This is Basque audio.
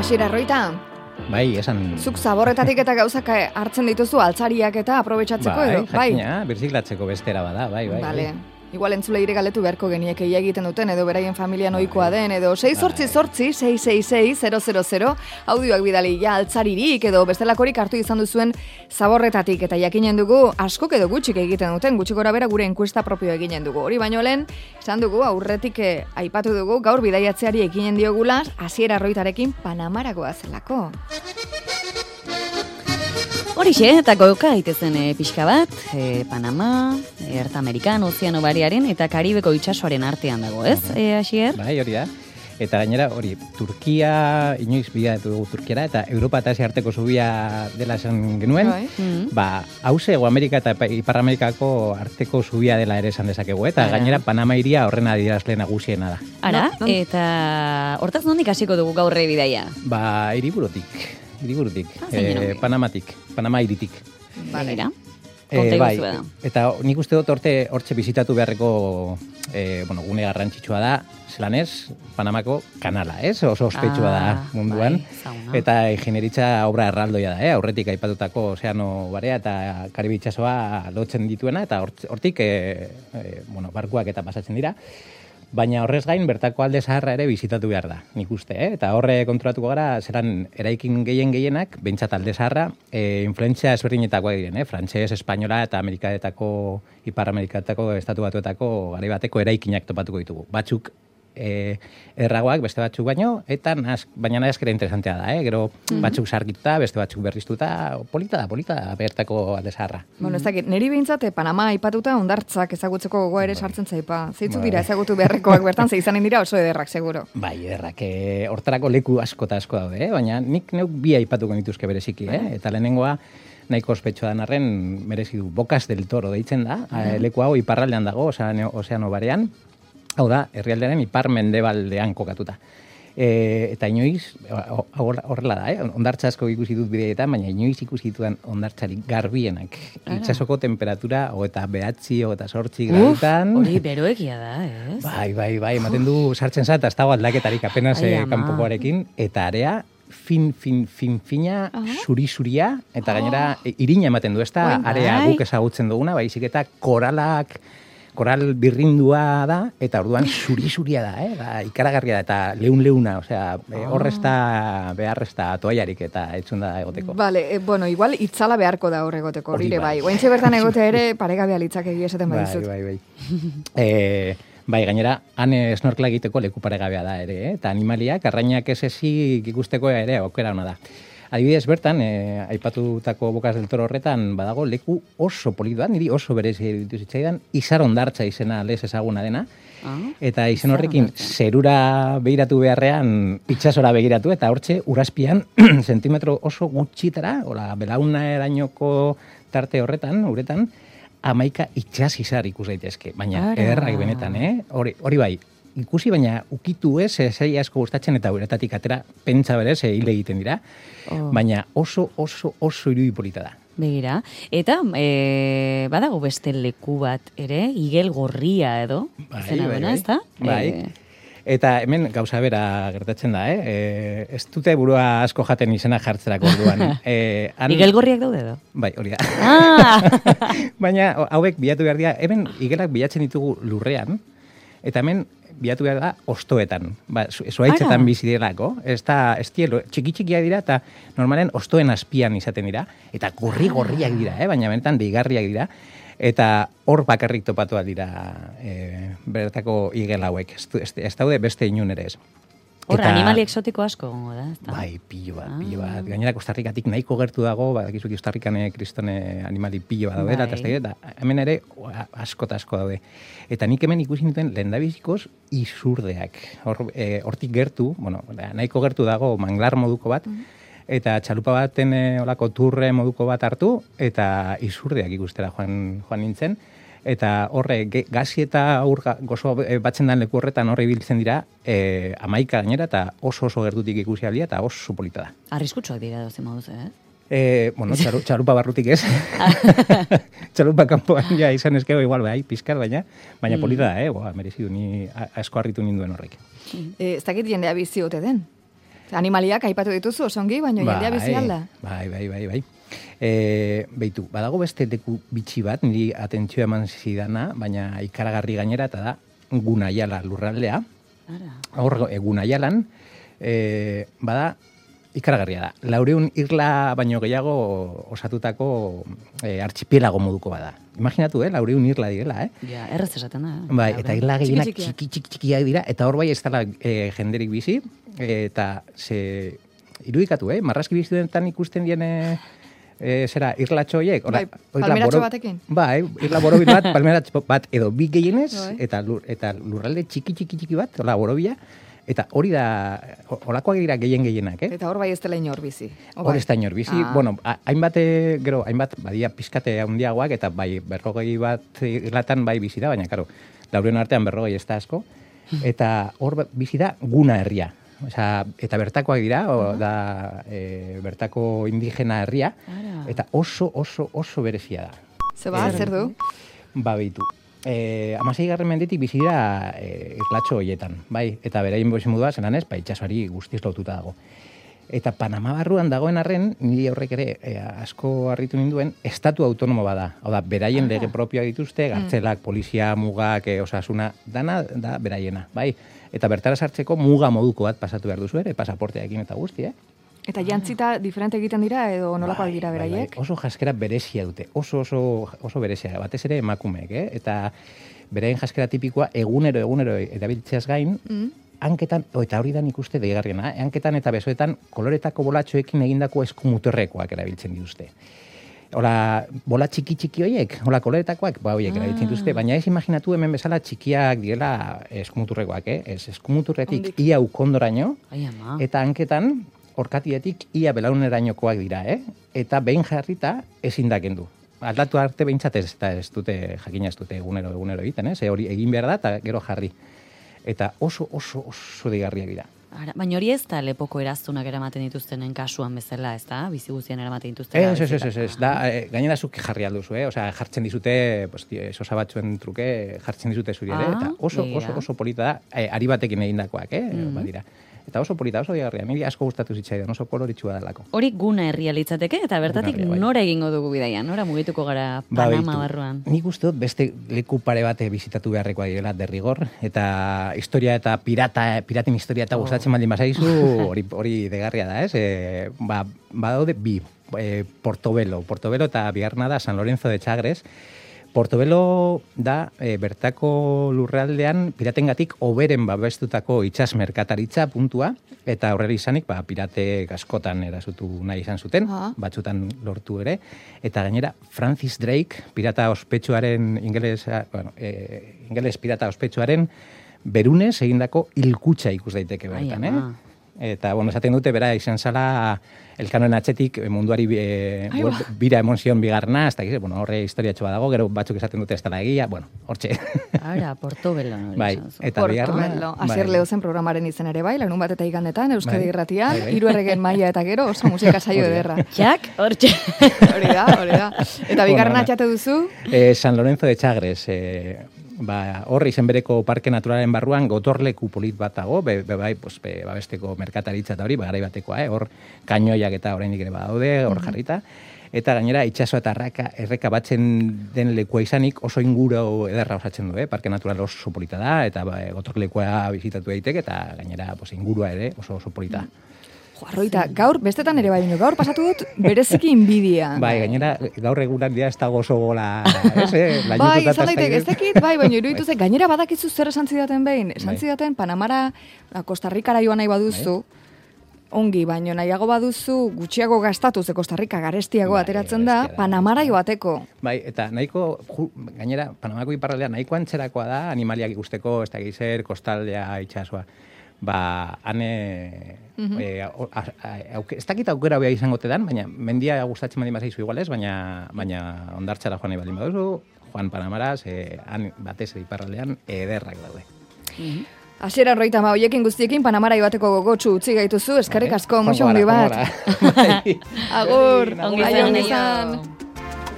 Asier Arroita, Bai, esan... zuk zaborretatik eta gauzak hartzen dituzu altzariak eta aprobetxatzeko edo? Bai, jakina, birziklatzeko bestera bada, bai. Vale. Igual entzuleire galetu beharko genieke ia egiten duten, edo beraien familian ohikoa den, edo 688-666-000, audioak bidali ja altzaririk, edo bestelakorik hartu izan duzuen zaborretatik, eta jakinen dugu askok edo gutxik egiten duten, gutxik gora bera gure enkuesta propio eginen dugu. Hori baino lehen, esan dugu, aurretik aipatu dugu, gaur bidaiatzeari eginen diogula, Asier Arroitarekin Panamaragoa zelako. Horixe, eta goka aitezen pixka bat, Panama, Erta Amerikan, Ozeano Bariaren eta Karibeko itsasoaren artean dago, ez, Asier? Bai, hori da. Eta gainera, hori, Turkia, inoiz bidatu dugu Turkiara, eta Europa eta Asia arteko zubia dela esan genuen, hauze, Ego Amerika eta Ipar Amerikako arteko zubia dela ere esan dezakegu, eta gainera Panama iria horren adierazle nagusiena da. Ara, eta hortaz nondik hasiko dugu gaurre bidaia? Ba, hiriburutik, Panama iritik. Balera, bai, eta nik uste dut hortxe bizitatu beharreko gune garrantzitsua da, zelanez, Panamako kanala, ez? Oso ospetsua da munduan. Bai, eta ingenieritza obra erraldoia da, aurretik aipatutako Ozeano Barea eta Karibe itsasoa lotzen dituena, eta hortik barkuak eta pasatzen dira. Baina horrez gain, bertako alde zaharra ere bizitatu behar da, nik uste, eta horre kontrolatuko gara, zeran eraikin gehienak, behintzat alde zaharra, influentzia ezberdinetakoa diren, frantses, espainola eta Amerikatako, Ipar Amerikatako, Estatu Batuetako, garai bateko eraikinak topatuko ditugu. Batzuk erragoak, beste batzuk baino, eta baina nahazkera interesantea da, gero batzuk sargituta, beste batzuk berriztuta, polita da, bertako alde zaharra. Bueno, ez dakit, niri behintzat Panama aipatuta hondartzak ezagutzeko gogoa ere sartzen zaipa. Zeitzuk dira ezagutu beharrekoak bertan, ze izanen dira oso ederrak, seguro. Bai, ederrak, hortarako leku asko daude, baina nik neuk bi aipatuko nituzke bereziki, eta lehenengoa, nahiko ospetsua den arren, merezi du, Bocas del Toro deitzen da, leku hau iparraldean dago, Ozeano Barean, hau da, herrialdearen ipar-mendebaldean kokatuta. Eta inoiz, horrela da, hondartza asko ikusi dut bideetan, baina inoiz ikusi ditudan hondartzarik garbienak. Itsasoko temperatura, 29-28 gradutan. Hori beroegia da, ez? Bai, ematen du sartzen zat, ez dago aldaketarik apenas kanpokoarekin, eta area fina, zuri-zuria, eta gainera irina ematen du, ez da, area guk ezagutzen duguna, baizik eta koral birrindua da, eta orduan zuri-zuria da, ikaragarria da, eta leun-leuna, osea, horrezta, beharrezta toaiarik eta etzun da egoteko. Vale, igual itzala beharko da hor egoteko, hori bai. Ointxe bertan egotea ere paregabea litzak esaten badizut. Bai. Bai, gainera, han snorkela egiteko leku paregabea da ere, eta animaliak, arrainak ez ezik ikusteko ere aukera ona da. Adibidez bertan, aipatutako Bocas del Toro horretan badago leku oso politoa, niri oso berezi iruditu zitzaidan, Izar hondartza izena lez ezaguna dena, eta izen horrekin zerura begiratu beharrean itsasora begiratu, eta hortxe urazpian zentimetro oso gutxitara, belauna erainoko tarte horretan, uretan, 11 itsas izar ikus daitezke, baina ederrak benetan, hori bai, ikusi, baina ukitu ez, zei asko gustatzen eta uretatik atera pentsa berez, hile egiten dira, baina oso irudipolita da. Begira, eta badago beste leku bat ere, igel gorria edo, zena duena, ez da? Bai, eta hemen gauza bera gertatzen da, ez dute burua asko jaten izena jartzerako orduan. Igel gorriak daude edo? Bai, hori da. Baina hauek bilatu behar dira, hemen igelak bilatzen ditugu lurrean, eta hemen bilatu behar da ostoetan. Zuaitzetan bizi direlako. Ez txiki-txikia dira eta normalen ostoen azpian izaten dira. Eta gorri-gorriak dira, baina benetan deigarriak dira. Eta hor bakarrik topatu dira bertako igel hauek. Ez daude beste inun ere ez. Horra, animali exotiko asko gongo da. Bai, pilo bat. Gainera, Kostarrikatik nahiko gertu dago, badakizu Kostarrikane kristone animali pilo bat daude, eta hemen ere asko daude. Eta nik hemen ikusi nituen lehendabizikoz izurdeak. Hortik gertu, nahiko gertu dago manglar moduko bat, eta txalupa baten olako turre moduko bat hartu, eta izurdeak ikustera joan nintzen. Eta horre, gazi eta gozo batzen den leku horretan horre ibiltzen dira, 11 gainera, eta oso gertutik ikusi aldia, eta oso polita da. Arriskutsuak dira dozen moduz, Txalupa barrutik ez. Txalupa kanpoan ja izan ezkego igual pizkar, baina polita da, merezidu, ni asko harritu ninduen horrek. Ez dakit jendea bizi ote den? Animaliak aipatu dituzu, osongi, baina jendea bizi alda. Bai. Beitu, badago beste leku bitxi bat, niri atentzioa eman zidana, baina ikaragarri gainera, eta da Gunaiala lurraldea. Hor, Gunaialan, bada, ikaragarria da. 400 irla baino gehiago osatutako archipielago moduko bada. Imaginatu, 400 irla direla, Ja, erraz esaten da. Bai, eta irla gehienak txikiak dira, eta hor bai ez dela jenderik bizi, eta irudikatu, marrazki bizidunetan ikusten diene irlatxo horiek. Bai, palmeratxo batekin. Bai, irla borobil bat, palmeratxo bat, edo bi gehienez, eta lurralde txiki bat, hola, borobila, eta hori da, holakoak dira gehienak, Eta hor bai ez dela inor bizi. Hor ez da inor bizi. Bueno, hainbat, badia pizkate handiagoak, eta bai, 40 bat irlatan bai bizi da, baina, karo, 400 artean 40 ez da asko, eta hor bizi da Guna herria. Eta bertakoak dira, bertako indigena herria, eta oso berezia da. Zer du? Ba, behitu. 16. mendetik bizi dira irlatxo horietan, bai? Eta beraien modua zelan ez, itxasoari guztiz lotuta dago. Eta Panama barruan dagoen arren, niri horrek ere asko harritu ninduen, estatu autonomo bada. Hau da, beraien lege propioa dituzte, gartzelak, polizia, mugak, osasuna, dana da beraiena, bai? Eta bertara sartzeko muga moduko bat pasatu behar duzu ere, pasaporteakin eta guzti, Eta jantzita diferente egiten dira edo nolakoak dira beraiek? Oso jaskera berezia dute, oso berezia, batez ere emakumeek, Eta beraien jaskera tipikoa egunero erabiltzeaz gain, hanketan, eta hori da nik uste deigarriena, hanketan eta besoetan koloretako bolatxoekin egindako eskumuturrekoak erabiltzen dituzte. Hola, bola txiki horiek, hola koloretakoak, horiek erabiltzen dituzte, baina ez imaginatu hemen bezala txikiak direla eskumuturrekoak, Ez eskumuturretik ia ukondoraino, eta hanketan orkatietik ia belaunerainokoak dira, Eta behin jarrita ezin da kendu. Aldatu arte behintzat ez dute, jakina ez dute egunero egiten, hori egin behar da eta gero jarri. Eta oso deigarriak dira. Baina hori ez da lepoko eraztunak eramaten dituztenen kasuan bezala, ez da? Bizi guztien eramaten dituzten. Ez, da, gainera zuk jarri alduzu, jartzen dizute, sosa batzuen truke, jartzen dizute zuri ere, eta oso polita da, ari batekin egindakoak, badira. Eta oso polita, oso digarria, niri asko gustatu zitzaidan, oso koloritsua delako. Hori Guna herria litzateke, eta bertatik nora egingo dugu bidaia, nora mugituko gara Panama barruan? Nik uste dut beste leku pare bate bizitatu beharrekoa direla derrigor, eta historia eta piraten historia eta gustatzen baldin bazaizu, hori degarria da, ez? Badaude bi, Portobelo eta bigarna da San Lorenzo de Chagres. Portobelo da bertako lurraldean piratengatik hoberen babestutako itsas merkataritza puntua, eta horrela izanik pirate askotan erasotu nahi izan zuten, batzutan lortu ere, eta gainera Francis Drake, pirata ospetsuaren, ingeles pirata ospetsuaren berunez egindako hilkutxa ikus daiteke bertan, Eta, esaten dute, bera, izan zala elkanoen atzetik munduari bira emon bigarna, ez da, horre historiatxo dago, gero batzuk esaten dute ez dela egia, hortxe. Portobelo. Bai, eta bigarna. Asier Leozen programaren izen ere bai, larun bat eta igandetan, Euskadi Irratian, 3 erregen maila eta gero, oso musika saio ederra. Jak, hortxe. Hori da. Eta bigarna txate duzu? San Lorenzo de Chagres, horre izen bereko parke naturalen barruan gotorleku polit bat dago, babesteko merkataritza eta hori, garai batekoa, hor kainoiak eta oraindik ere badaude, hor jarrita, eta gainera itsaso eta erreka batzen den lekua izanik oso inguru ederra osatzen du, parke natural oso polita da, eta gotorlekua bizitatu daiteke, eta gainera ingurua ere oso polita. Arroita, gaur, bestetan ere bai, gaur pasatu dut bereziki inbidia. Bai, gainera, gaur egunan dia ez dago oso gola, bai, izan daiteke, ez dakit, baina iruditu ze, gainera badakizu zer esan zidaten behin, esan zidaten Panamara, Costa Ricara joan nahi baduzu, ongi, baino nahiago baduzu gutxiago gastatu, ze Costa Rica garestiago ateratzen da, Panamara joateko. Bai, eta nahiko, gainera, Panamako iparraldea nahiko antzerakoa da, animaliak ikusteko, ez da gizer, kostaldea, itxasoa. Ez dakit aukera behar izango tedan, baina mendia gustatzen baldin bazaizu igualez, baina ondartxara joan nahi baldin baduzu, Juan Panamaraz, batez iparraldean ederrak daude. Asier Arroita, hoiekin guztiekin Panamara joateko gogotsu utzi gaituzu, eskerrik asko, muxo handi bat. Agur, ongi izan.